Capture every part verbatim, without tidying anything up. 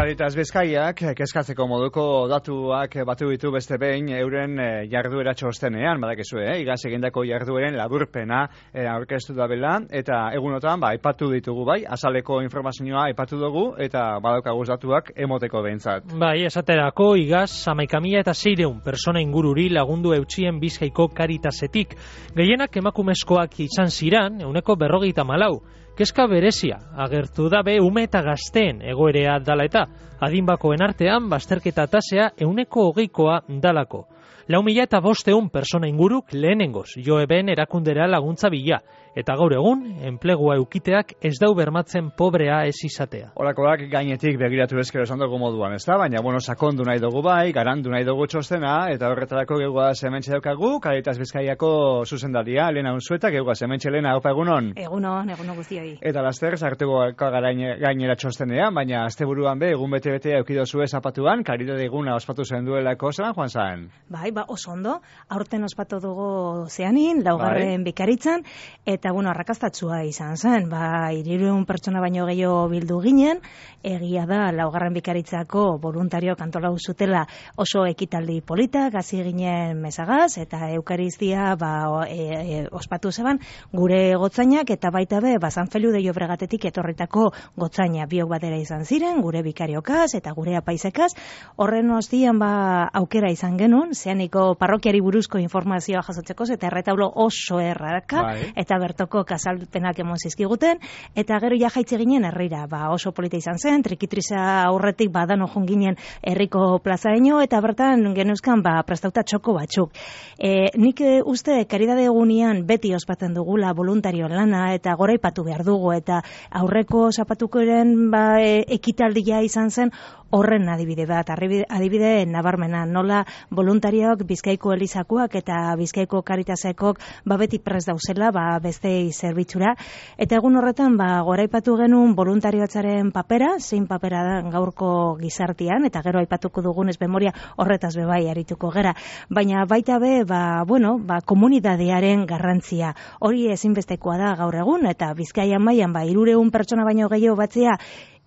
Caritas Bizkaiak kezkatzeko moduko datuak batu ditu beste behin euren jarduera txostenean, badakizue, eh? Igaz egindako jardueren laburpena eh, aurkeztu da bela, eta egunotan ba, aipatu ditugu bai, azaleko informazioa aipatu dugu, eta badaukaguz datuak emoteko behintzat. Bai, esaterako igaz, hamaika mila eta seiehun persona ingururi lagundu eutsien Bizkaiko Caritasetik. Gehienak emakumezkoak izan ziran, ehuneko berrogeita malau. Kezka berezia, agertu da be ume eta gazteen egoerea dala eta adinbakoen artean bazterketa tasea ehuneko hogeikoa dalako. Lau mila eta bosteun persona inguruk lehenengoz jo eben erakundera laguntza bila, eta gaur egun enplegua eukiteak ez dau bermatzen pobrea ez izatea. Horakoak gainetik begiratu ezkero esan dugu moduan, ez da? Baina, bueno, sakondu nahi dugu bai, garandu nahi dugu txostena, eta horretarako geugua zementxe daukagu, Caritas Bizkaiako zuzendaria, Elena Unzueta, geugua zementxe Elena, opa egunon? Egunon, egunon guztioi. Eta laster, sartuko gainera txostenean, baina asteburuan be, egun bete-bete eukidozue zapatuan, Caritate eguna ospatu zen duelako zelan, Juan Saen? Bai, ba, oso ondo, aurten ospatu dugu zeanin, laugarren bai. Bikaritzan, eta bueno, arrakastatsua izan zen, ba, hirurehun pertsona baino gehiago bildu ginen, egia da, laugarren bikaritzako voluntario kantolau zutela oso ekitaldi politak, hasi ginen mesagaz, eta eukaristia ba, e, e, ospatu zeban, gure gotzainak, eta baita be, ba, San Feliu de Llobregatetik etorritako gotzaina, biok batera izan ziren, gure bikariokaz, eta gure apaizekaz, horren ostian ba, aukera izan genuen, zeaniko parrokiari buruzko informazioa jasotzeko, eta erretaulo oso erraka, bai. Eta bertoko kasalpenak emon zizkiguten, eta gero ja jaitze ginen herrira, ba, oso polita izan zen, trikitriza aurretik badan ojun ginen herriko plazaino, eta bertan genuzkan ba, prestauta txoko batzuk. E, nik e, uste karidade egunean beti ospatzen dugula voluntario lana, eta gora ipatu behar dugu, eta aurreko zapatukoren ba, e, ekitaldia izan zen, horren adibide bat, adibide nabarmena, nola voluntarioak Bizkaiko Elizakoak eta Bizkaiko Caritasekok ba beti prest dauzela, ba bestei zerbitzura, eta egun horretan ba goraipatu genuen voluntariotzaren papera, zein papera da gaurko gizartean, eta gero aipatuko dugunez memoria horretaz be bai arituko gera, baina baita be ba bueno, ba komunitatearen garrantzia. Hori ezinbestekoa da gaur egun, eta Bizkaian mailan ba hirurehun pertsona baino gehiago batzea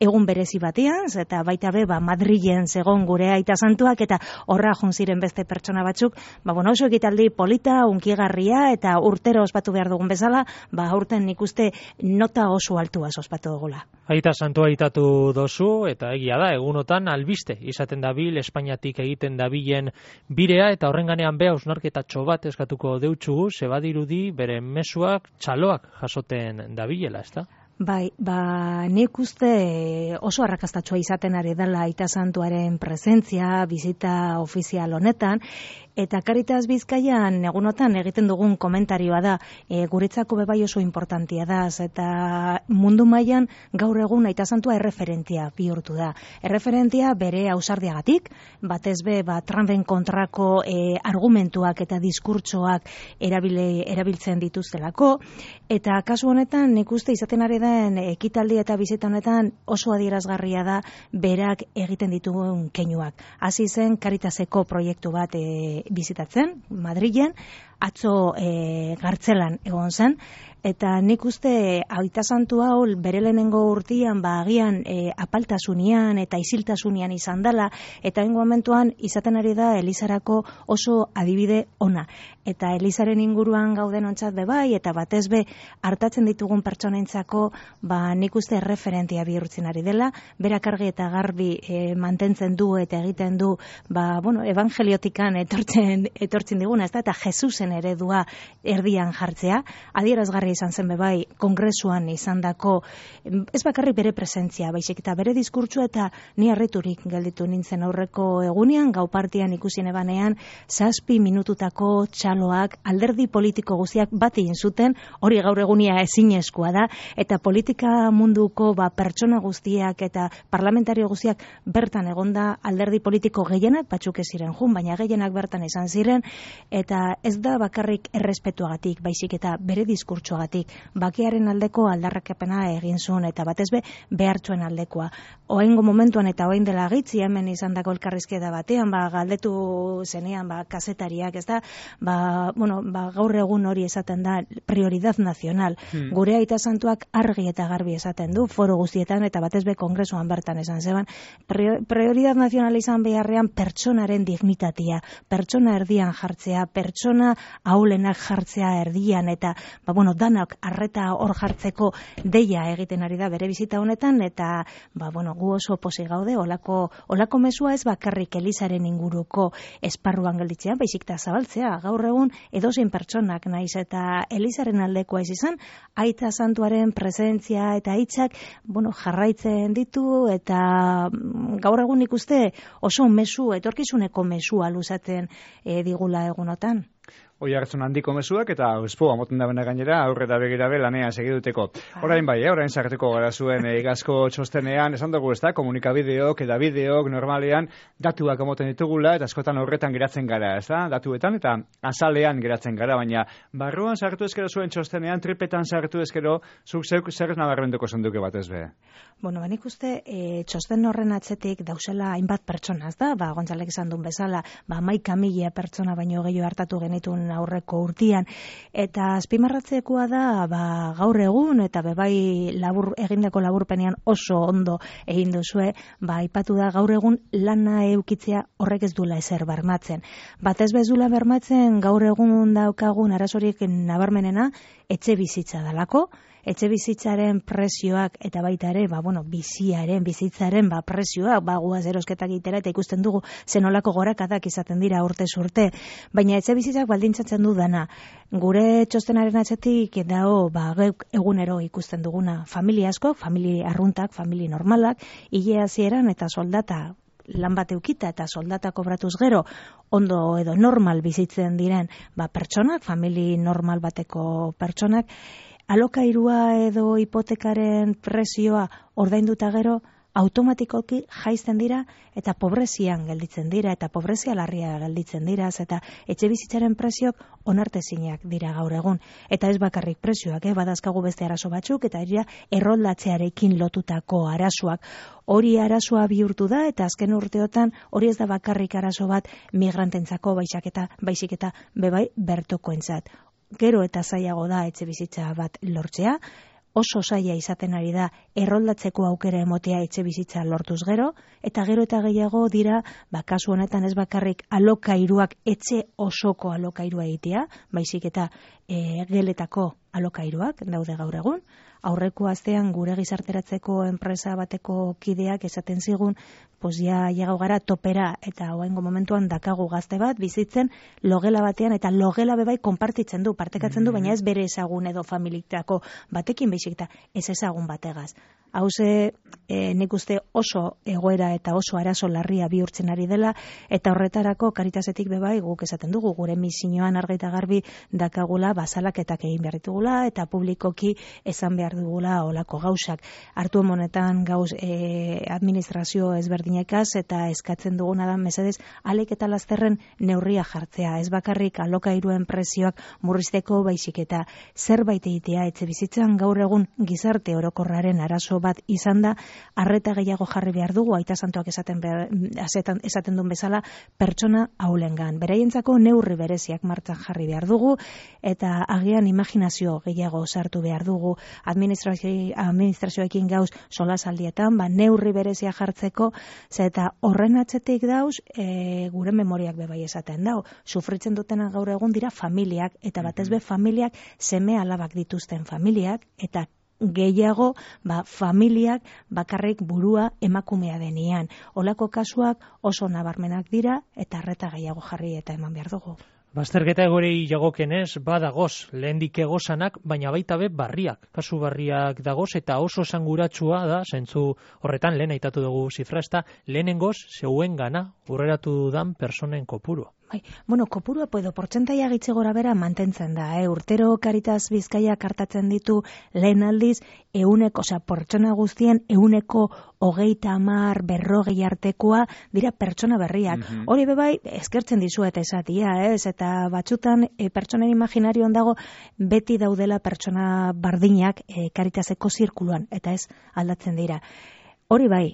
egun berezi batean, eta baita be, ba, Madrilen zegon gure aita santuak, eta horra jun ziren beste pertsona batzuk, ba, bueno, oso ekitaldi polita, unkigarria, eta urtero ospatu behar dugun bezala, ba, aurten nik uste nota oso altua ospatu dugula. Aita santua aitatu dozu, eta egia da, egunotan albiste izaten dabil, Espainiatik egiten dabilen birea, eta horren ganean be, hausnarketatxo bat eskatuko deutsugu, zebadirudi bere mezuak txaloak jasoten dabilela, ez da? Bai, ba, nik uste oso arrakastatxoa izaten ari dela Aita Santuaren presentzia, bizita ofizial honetan, eta Caritas Bizkaian egunotan egiten dugun komentarioa da, e, guretzako bebai oso importantia da, eta mundu mailan gaur egun Aita Santua erreferentia bihurtu da. Erreferentia bere ausardiagatik, batez be, ba, Trumpen kontrako e, argumentuak eta diskurtsoak erabile, erabiltzen dituztelako, eta kasu honetan nik uste izaten ari den ekitaldi eta bizita honetan oso adierazgarria da berak egiten ditugun keinuak. Hasi zen Caritaseko proiektu bat e, bizitatzen, Madrilen, atzo e, Gartzelan egon zen, eta nik uste Aita Santu hau bere lehenengo urtean ba agian e, apaltasunian eta isiltasunian izan dela, eta hengo momentuan izaten ari da Elizarako oso adibide ona. Eta Elizaren inguruan gauden ontzat be bai, eta batez be hartatzen ditugun pertsonentzako ba nik uste referentia bihurtzen ari dela, berak argi eta garbi e, mantentzen du eta egiten du ba bueno, evangeliotikan etortzen etortzen diguna, ezta, eta Jesusen eredua erdian jartzea, adierazgarri izan zen bebai kongresuan izandako ez bakarrik bere presentzia, baizik eta bere diskurtsoa, eta ni harriturik gelditu nintzen aurreko egunean, gau partian ikusi nebanean, zazpi minututako txaloak alderdi politiko guztiak bat egin zuten, hori gaur egunia ezinezkoa da, eta politika munduko ba, pertsona guztiak eta parlamentario guztiak bertan egonda, alderdi politiko gehienak, batzuk ez ziren jun, baina gehienak bertan izan ziren, eta ez da bakarrik errespetuagatik, baizik eta bere diskurtsoagatik, bakearen aldeko aldarrakapena egin zuen, eta batez be behartzuen aldekoa. Oaingo momentuan eta oain dela gitzi hemen izandako elkarrizketa batean, ba, galdetu zenean ba, kazetariak, ez da, ba, bueno, ba, gaur egun hori esaten da prioridad nazional. Hmm. Gure aita santuak argi eta garbi esaten du, foro guztietan eta batez be kongresuan bertan esan zeban, prioridad nazional izan beharrean pertsonaren dignitatea, pertsona erdian jartzea, pertsona ahulenak jartzea erdian, eta ba, bueno, danak arreta hor jartzeko deia egiten ari da bere bizita honetan, eta ba, bueno, gu oso posi gaude, olako, olako mesua ez bakarrik Elizaren inguruko esparruan gelditzean, baizik eta zabaltzea, gaur egun edozein pertsonak naiz eta Elizaren aldekoa ez izan, aita santuaren presentzia eta hitzak, bueno, jarraitzen ditu, eta gaur egun ikuste oso mesu, etorkizuneko mesua luzatzen e, digula egunotan. Oi hartzun handiko mezuak eta espoa moten da bena gainera aurrera begirabe lanea segiduteko. Orain bai, eh, orain sartuko gara zuen igazko txostenean, esan dugu ez da, komunikabideok eta bideok normalean datuak emoten ditugula eta askotan horretan geratzen gara, ez da, datuetan eta azalean geratzen gara, baina barruan sartu ezkero zuen txostenean, tripetan sartu ezkero, zuk zeuk zer nabarmenduko zenduke batez be. Bueno, ben ikuste, e, txosten horren atzetik dauzela hainbat pertsona, ez da, ba, Gontzalek esan duen bezala, ba, hamaika mila pertsona baino gehiago hartatu genitun aurreko urtian, eta azpimarratzekoa da ba, gaur egun eta bebai labur, egindako laburpenean oso ondo egin duzue, ba, aipatu da gaur egun lana eukitzea horrek ez duela ezer bermatzen. Batez bezula bermatzen gaur egun daukagun arazorik nabarmenena etxe bizitza dalako, etxe bizitzaren prezioak eta baita ere, ba, bueno, biziaren, bizitzaren ba, prezioak, ba, guaz erosketak egitera eta ikusten dugu zenolako gorakadak izaten dira urte urte, baina etxe bizitzak baldintzatzen du dana. Gure txostenaren atzetik dago, ba, egunero ikusten duguna familia asko, familia arruntak, familia normalak, hile hasieran eta soldata lan bat eukita eta soldata kobratuz gero ondo edo normal bizitzen diren ba, pertsonak, familia normal bateko pertsonak, alokairua edo hipotekaren prezioa ordainduta gero automatikoki jaisten dira eta pobrezian gelditzen dira eta pobrezia larria gelditzen dira eta etxe bizitzaren preziok onartezinak dira gaur egun. Eta ez bakarrik prezioak, eh? Badazkagu beste arazo batzuk eta dira erroldatzearekin lotutako arazoak. Hori arazoa bihurtu da eta azken urteotan hori ez da bakarrik arazo bat migrantentzako baizik eta baizik eta bebai bertokoentzat. Gero eta zailago da etxe bizitza bat lortzea, oso zaila izaten ari da erroldatzeko aukera emotea etxe bizitza lortuz gero, eta gero eta gehiago dira, ba, kasu honetan ez bakarrik alokairuak etxe osoko alokairua egitea, baizik eta e, geletako alokairuak daude gaur egun. Aurreko astean gure gizarteratzeko enpresa bateko kideak esaten zigun, pues ja llegau gara topera eta oraingo momentuan dakagu gazte bat bizitzen logela batean eta logela bebai konpartitzen du, partekatzen du, baina ez bere ezagun edo familiktako batekin baizik eta ez ezagun bategaz. Hauze, e, nik uste oso egoera eta oso arazo larria bihurtzen ari dela, eta horretarako Karitasetik bebai guk esaten dugu, gure misioan argi eta garbi dakagula bazalaketak egin behar ditugula, eta publikoki esan behar dugula olako gauzak. Hartu honetan gauz e, administrazio ezberdinekaz, eta eskatzen duguna da mesedez, alek eta lasterren neurria jartzea, ez bakarrik alokairuen prezioak murrizteko baizik eta zerbait egitea etxe bizitzan gaur egun gizarte orokorraren arazo bat izan da, arreta gehiago jarri behar dugu, aita santuak esaten, behar, esaten, esaten duen bezala, pertsona haulengan. Beraientzako neurri bereziak martxan jarri behar dugu, eta agian imaginazio gehiago sartu behar dugu administrazio, administrazioekin gauz solasaldietan, ba, neurri berezia jartzeko, eta horren atzetik dauz, e, gure memoriak bebai esaten dau. Sufritzen dutena gaur egun dira familiak, eta batez be familiak seme alabak dituzten familiak, eta gehiago ba, familiak bakarrik burua emakumea denean. Olako kasuak oso nabarmenak dira eta arreta gehiago jarri eta eman behar dugu. Bazterketa egorei jagokenez, badagoz, lehendik egozanak, baina baita be barriak. Kasu barriak dagoz eta oso esanguratsua da, zentzu horretan lehen aitatu dugu zifra, ez da lehenengoz zeuen gana urreratu dan personen kopuru. Bai, bueno, kopurua edo portzentaia gitze gora bera mantentzen da, eh? Urtero Caritas Bizkaia kartatzen ditu lehen aldiz, euneko, osea, pertsona guztien euneko hogeita hamar berrogei artekoa dira pertsona berriak. Mm-hmm. Hori bebai, eskertzen dizuet esatia, ez? Eta batzutan, e, pertsonen imaginarioan dago, beti daudela pertsona bardinak e, Caritaseko zirkuluan, eta ez aldatzen dira. Hori bai,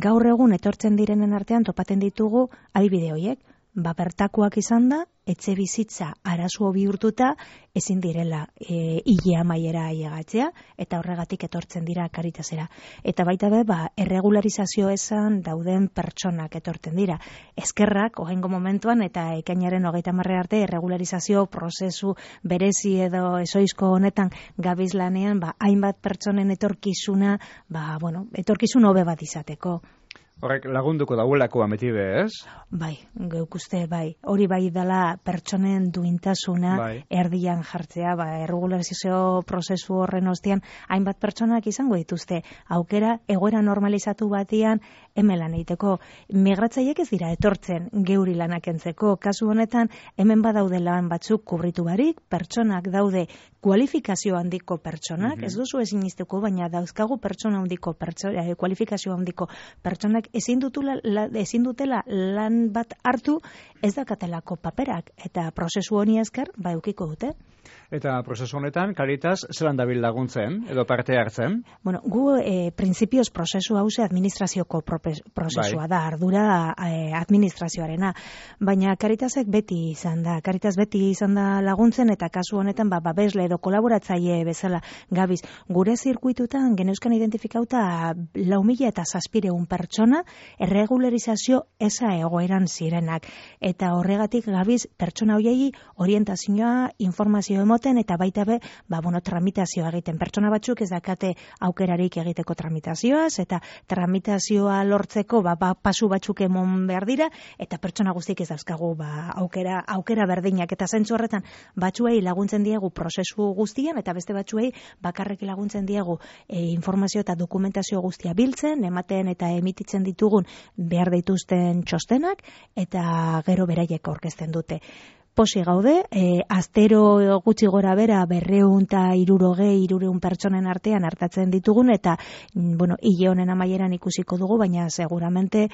gaur egun etortzen direnen artean topaten ditugu adibide horiek, ba bertakoak izan da, etxe bizitza arazo bihurtuta ezin direla e, ile amaiera ailegatzea, eta horregatik etortzen dira Caritasera. Eta baita be, ba, erregularizazio esan dauden pertsonak etortzen dira. Eskerrak, ohengo momentuan, eta ekainaren hogeita hamarre arte, erregularizazio prozesu berezi edo ezoizko honetan gabiz lanean, ba, hainbat pertsonen etorkizuna, ba, bueno, etorkizun hobe bat izateko. Horrek lagunduko dauelako ameti be, ez? Bai, geuk uste, bai. Hori bai dela pertsonen duintasuna bai. Erdian jartzea, ba, erregularizazio prozesu horren ostean, hainbat pertsonak izango dituzte, aukera egoera normalizatu batian hemen lan egiteko. Migratzaileek ez dira etortzen geuri lanak entzeko. Kasu honetan, hemen badaude lan batzuk kubritu barik, pertsonak daude kualifikazio handiko pertsonak, mm-hmm. ez duzu ezin izteko, baina dauzkagu pertsona handiko pertsona, eh, kualifikazio handiko pertsonak ezin dutela, la, ezin dutela lan bat hartu, ez dakatelako paperak, eta prozesu honi esker, ba eukiko dute. Eta prozesu honetan, Caritas zelan dabil laguntzen, edo parte hartzen? Bueno, gu, e, prinsipioz prozesu hause administrazioko prozesua bai. Da, ardura e, administrazioarena, baina Caritasek beti izan da, Caritas beti izan da laguntzen, eta kasu honetan, ba, babesle edo kolaboratzaile bezala gabiz. Gure zirkuitutan, geneuzkan identifikauta lau mila eta zazpireun pertsona, erregularizazio eza egoeran zirenak, eta horregatik gabiz pertsona hoiei orientazioa, informazio emoten, eta baita be, ba, bueno, tramitazioa egiten. Pertsona batzuk ez dakate aukerarik egiteko tramitazioaz, eta tramitazioa lortzeko, ba, ba, pasu batzuk emon behar dira, eta pertsona guztik ez dauzkagu, ba, aukera, aukera berdinak, eta zentzu horretan, batzuei laguntzen diegu prozesu guztian, eta beste batzuei bakarrik laguntzen diegu e, informazio eta dokumentazio guztia biltzen, ematen eta emititzen ditugun behar dituzten txostenak, eta gero beraiek aurkezten dute. Posi gaude, e, astero gutxi gora bera berreun eta irurogei, irureun pertsonen artean hartatzen ditugun, eta, bueno, hile honen amaieran ikusiko dugu, baina seguramente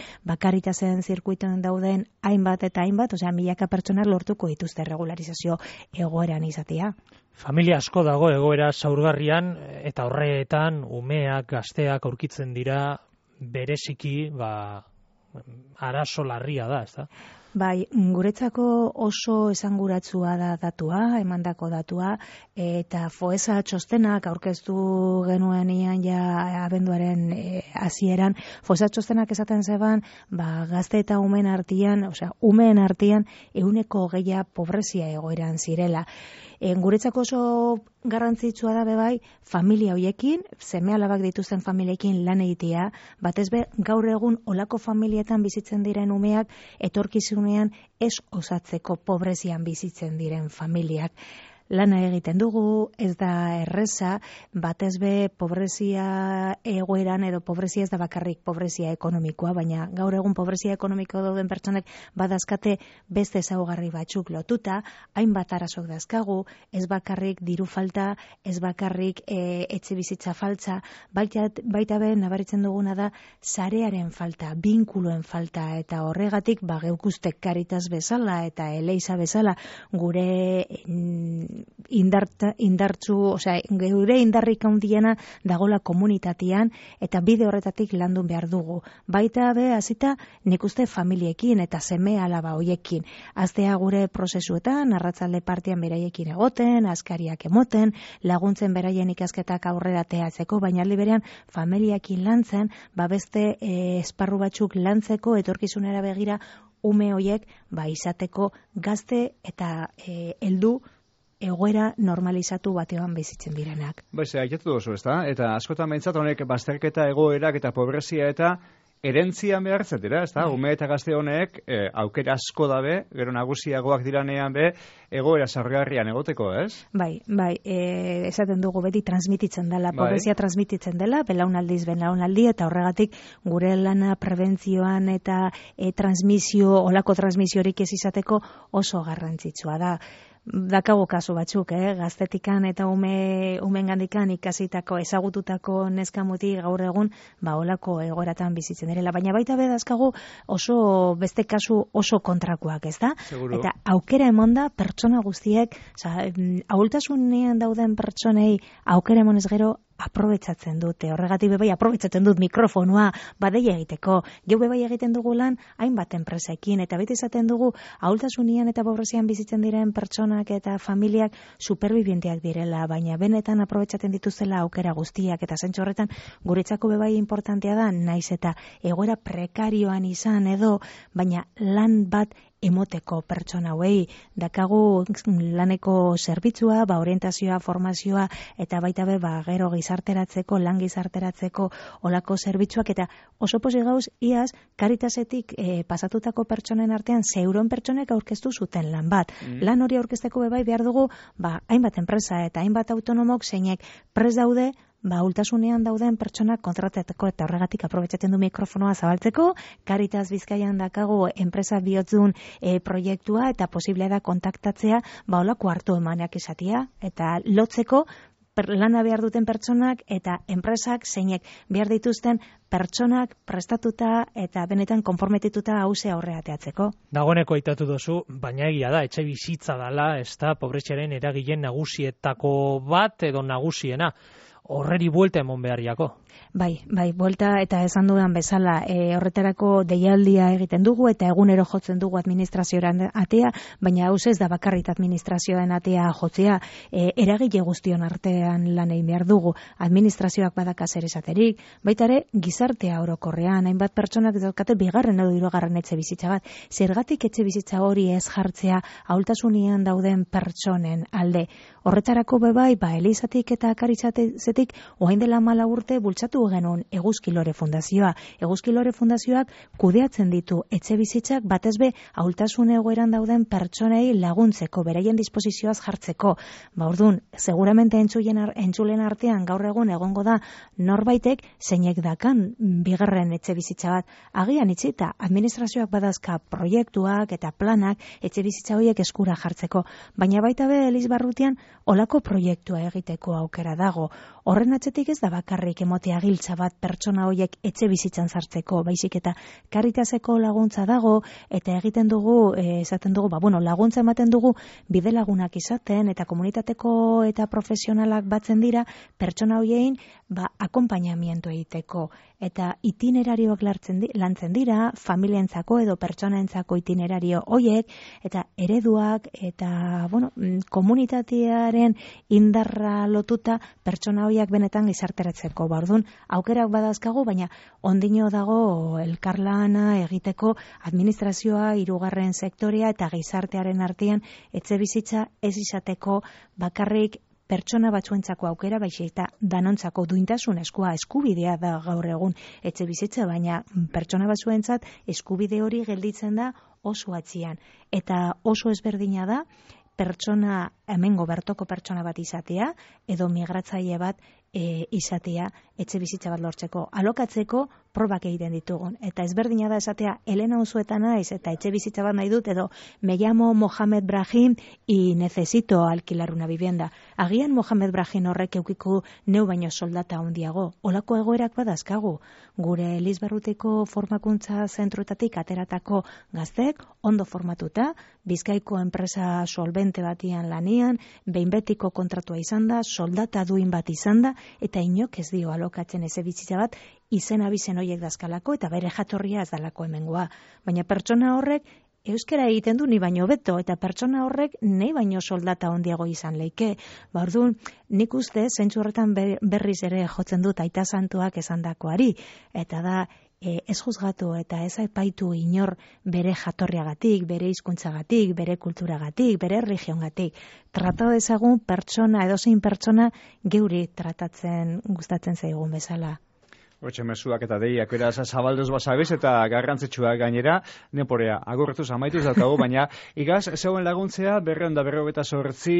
Caritasen zirkuituen dauden hainbat eta hainbat, osea, milaka pertsonak lortuko dituzte regularizazio egoeran izatea. Familia asko dago egoera zaurgarrian, eta horretan umeak, gazteak aurkitzen dira bereziki, ba, arazo larria da, ez da? Bai, guretzako oso esanguratsua da datua, emandako datua, eta Foesa txostenak aurkeztu genuenian ja abenduaren hasieran, e, Foesa txostenak esaten zeban, ba, gazte eta umen artean, osea, umeen artean ehuneko hogeia pobrezia egoeran zirela. E, guretzako oso garrantzitsua da bebai, familia hoiekin, seme alabak dituzten familiekin lan egitea, batez be, gaur egun olako familietan bizitzen diren umeak, etorkizunean ez osatzeko pobrezian bizitzen diren familiak. Lana egiten dugu, ez da erreza, batez be pobrezia egoeran edo pobrezia ez da bakarrik pobrezia ekonomikoa, baina gaur egun pobrezia ekonomiko dauden pertsonek badazkate beste ezaugarri batzuk lotuta, hainbat arazok dazkagu, ez bakarrik diru falta, ez bakarrik e, etxe bizitza faltza, baita, baita be nabaritzen duguna da sarearen falta, binkuluen falta, eta horregatik ba geukuztek Caritas bezala eta Eleiza bezala gure Indarta, indartzu, osea, geure indarrik handiena dagola komunitatean, eta bide horretatik landu behar dugu. Baita be, hasita nik uste familiekin eta seme alaba hoiekin. Aztea gure prozesuetan, arratzalde partian beraiekin egoten, askariak emoten, laguntzen beraien ikasketak aurrera teatzeko, baina aldi berean familiekin lantzen, ba beste e, esparru batzuk lantzeko, etorkizunera begira, ume hoiek ba izateko gazte eta e, heldu egoera normalizatu batean bizitzen direnak. Baize, aitatu duzu, ezta? Eta askotan behintzat honek bazterketa egoerak eta pobrezia eta erentzian behar zetera, ez da? Ume eta gazte honek e, aukera asko dabe, gero nagusiagoak diranean be, egoera sargarrian egoteko, ez? Bai, bai, e, esaten dugu beti transmititzen dela, pobrezia transmititzen dela, belaunaldiz, belaunaldi, eta horregatik gure lana prebentzioan eta e, transmisio, olako transmisiorik ez izateko oso garrantzitsua da. Dakago kasu batzuk, eh? Gaztetikan eta ume, umengandikan ikasitako, ezagututako neskamuti gaur egun, ba, olako egoratan bizitzen direla. Baina baita bedazkagu oso, beste kasu oso kontrakoak, ez da? Seguro. Eta aukera emonda pertsona guztiek, oza, ahultasunean dauden pertsonei aukera emonez gero, aprobetsatzen dute, horregatik bebai aprobetsatzen dut mikrofonua badeia egiteko, geu bebai egiten dugu lan hainbat enpresekin, eta beti izaten dugu ahultasunian eta pobrezian bizitzen diren pertsonak eta familiak superbibienteak direla, baina benetan aprobetsatzen dituzela aukera guztiak, eta zentzu horretan guretzako bebai importantea da, naiz eta egoera prekarioan izan edo, baina lan bat emoteko pertsona hauei, dakagu laneko zerbitzua, ba, orientazioa, formazioa, eta baita be, ba, gero gizarteratzeko, lan gizarteratzeko olako zerbitzuak, eta oso posi gauz, iaz, Karitasetik e, pasatutako pertsonen artean, zeuron pertsonek aurkeztu zuten lan bat. Mm. Lan hori aurkezteko bebai behar dugu, ba, hainbat enpresa eta hainbat autonomok zeinek prest daude, ba, ultasunean dauden pertsonak kontratateko, eta horregatik aprobetsatzen du mikrofonoa zabaltzeko, Caritas Bizkaian dakago enpresa bihotzun e, proiektua, eta posiblea da kontaktatzea, ba, olako hartu emanak izatea, eta lotzeko per, lana behar duten pertsonak, eta enpresak zeinek behar dituzten pertsonak prestatuta eta benetan konformetituta hause aurreateatzeko. Dagoeneko aitatu duzu, baina egia da, etxe bizitza dala, ez da, pobretxaren eragilen nagusietako bat edo nagusiena. Horreri buelta emon beharriako. Bai, bai, buelta eta esan dudan bezala, e, horretarako deialdia egiten dugu eta egunero jotzen dugu administrazioaren atea, baina hauz ez da bakarrit administrazioaren atea jotzea, e, eragile guztion artean lan egin behar dugu, administrazioak badaka zer esaterik, baita ere gizartea orokorrean, hainbat pertsonak daukate bigarren edo hirugarren etxe bizitza bat, zergatik etxe bizitza hori ez jartzea ahultasunian dauden pertsonen alde. Horretarako bebai, ba, Elizatik eta Karitzatetik orain dela hamalau urte bultzatu genuen Eguzkilore Fundazioa. Eguzkilore Fundazioak kudeatzen ditu etxe bizitzak batez be ahultasun egoeran dauden pertsonei laguntzeko, beraien disposizioaz jartzeko. Ba, orduan, seguramente entzulen, entzulen artean gaur egun egongo da norbaitek zeinek dakan bigarren etxe bizitza bat. Agian itzita, administrazioak badazka proiektuak eta planak etxe bizitza horiek eskura jartzeko. Baina baita be Elizbarrutian olako proiektua egiteko aukera dago. Horren atzetik ez da bakarrik emotea giltza bat pertsona horiek etxe bizitzan sartzeko, baizik eta Caritaseko laguntza dago, eta egiten dugu, e, esaten dugu, ba, bueno, laguntza ematen dugu bide lagunak izaten, eta komunitateko eta profesionalak batzen dira, pertsona horiein, ba, akompainamiento egiteko, eta itinerarioak lartzen di, lantzen dira, familientzako edo pertsonaentzako itinerario horiek, eta ereduak, eta, bueno, komunitatearen indarra lotuta pertsona horiek benetan gizarteratzeko. Ba, orduan, aukerak badazkagu, baina ondino dago elkarlana egiteko administrazioa, hirugarren sektorea eta gizartearen artean etxe bizitza ez izateko bakarrik pertsona batzuentzako aukera, baizik eta danontzako duintasunezkoa eskubidea da gaur egun etxe bizitza, baina pertsona batzuentzat eskubide hori gelditzen da oso atzian. Eta oso ezberdina da pertsona, hemengo bertoko pertsona bat izatea, edo migratzaile bat e, izatea etxe bizitza bat lortzeko. Alokatzeko probak egiten ditugun. Eta ezberdina da esatea, Elena Unzueta naiz, eta etxe bizitza bat nahi dut, edo me llamo Mohamed Brahim y necesito alquilar una vivienda. Agian Mohamed Brahim horrek eukiko neu baino soldata handiago. Olako egoerak badazkagu. Gure Elizbarruteko formakuntza zentruetatik ateratako gaztek, ondo formatuta, Bizkaiko enpresa solvente batian lanian, behin betiko kontratua izan da, soldata duin bat izan da, eta inok ez dio alokatzen eze bizitza bat, izen abizen horiek dazkalako, eta bere jatorria ez dalako hemengoa. Baina pertsona horrek euskara egiten du ni baino beto, eta pertsona horrek nei baino soldata handiago izan leike. Ba, orduan, nik uste zentzu horretan berriz ere jotzen dut aita santuak esandakoari, eta da, E, ez juzgatu eta ez aipaitu inor bere jatorriagatik, bere hizkuntzagatik, bere kulturagatik, bere erlijiongatik. Trata dezagun pertsona, edozein pertsona geuri tratatzen gustatzen zaigun bezala. Hortxe mezuak eta deiak, beraz, zabalduz basabiz eta garrantzitsua gainera, neporea, agurretuz amaituz daukagu, baina igaz, zeuen laguntzea, berreun da berrogeta sortzi,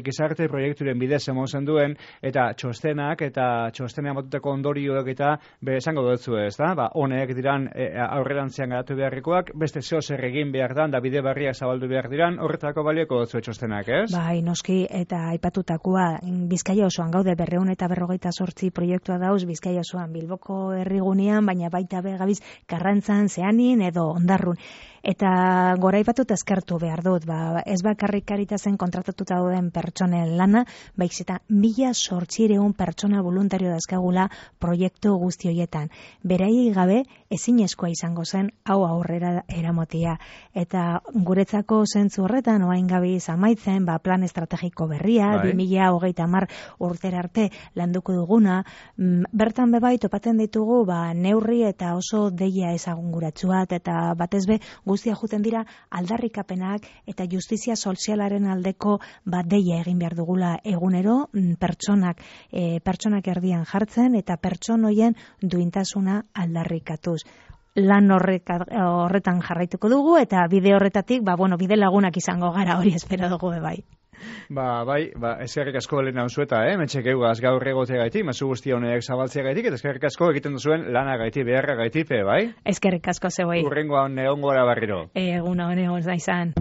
gizarte proiekturen bidez emon zen duen, eta txostenak, eta txostenean batuteko ondorioak eta, be, esango dutzu ez, da? Ba, honek diran e, aurrerantzean garatu beharrikoak, beste zeo zer egin behar dan, da bide barriak zabaldu behar diran, horretako balioko dutzu txostenak, ez? Bai, noski, eta aipatutakoa, Bizkaia osoan gaude berreun eta berrogeita sortzi proiektua dauz, Bizkaia osoan Bilboko herrigunean, baina baita begabiz Karrantzan, Zeanin edo Ondarrun. Eta gora ipatut eskertu behar dut, ba, ez bakarrik Karitasen kontratatuta dauden pertsonen lana, baiz eta mila zortziehun pertsona voluntario dazkagula proiektu guzti horietan. Beraiei gabe ezinezkoa izango zen hau aurrera eramotia. Eta guretzako zentzu horretan, oain gabe amaitzen, ba, plan estrategiko berria, bi mila hogeita hamar urtera arte landuko duguna, bertan bebai topaten ditugu ba, neurri eta oso deia ezagunguratsua, eta batez be guztia juten dira aldarrikapenak eta justizia sozialaren aldeko bat deia egin behar dugula egunero pertsonak, e, pertsonak erdian jartzen eta pertsonoien duintasuna aldarrikatuz. Lan horreka, horretan jarraituko dugu eta bide horretatik, ba, bueno, bide lagunak izango gara, hori espero dugu bai. Ba, bai, ba, eskerrik asko Elena Unzueta, eh? Metxek eugaz gaur egotea gaitik, mezu guzti honek zabaltzea gaitik, eta eskerrik asko egiten duzuen lana gaitik, beharra gaitik, bai? Eskerrik asko zeboi. Urrengoan egon gora barriro. Egun hone hon zaizan.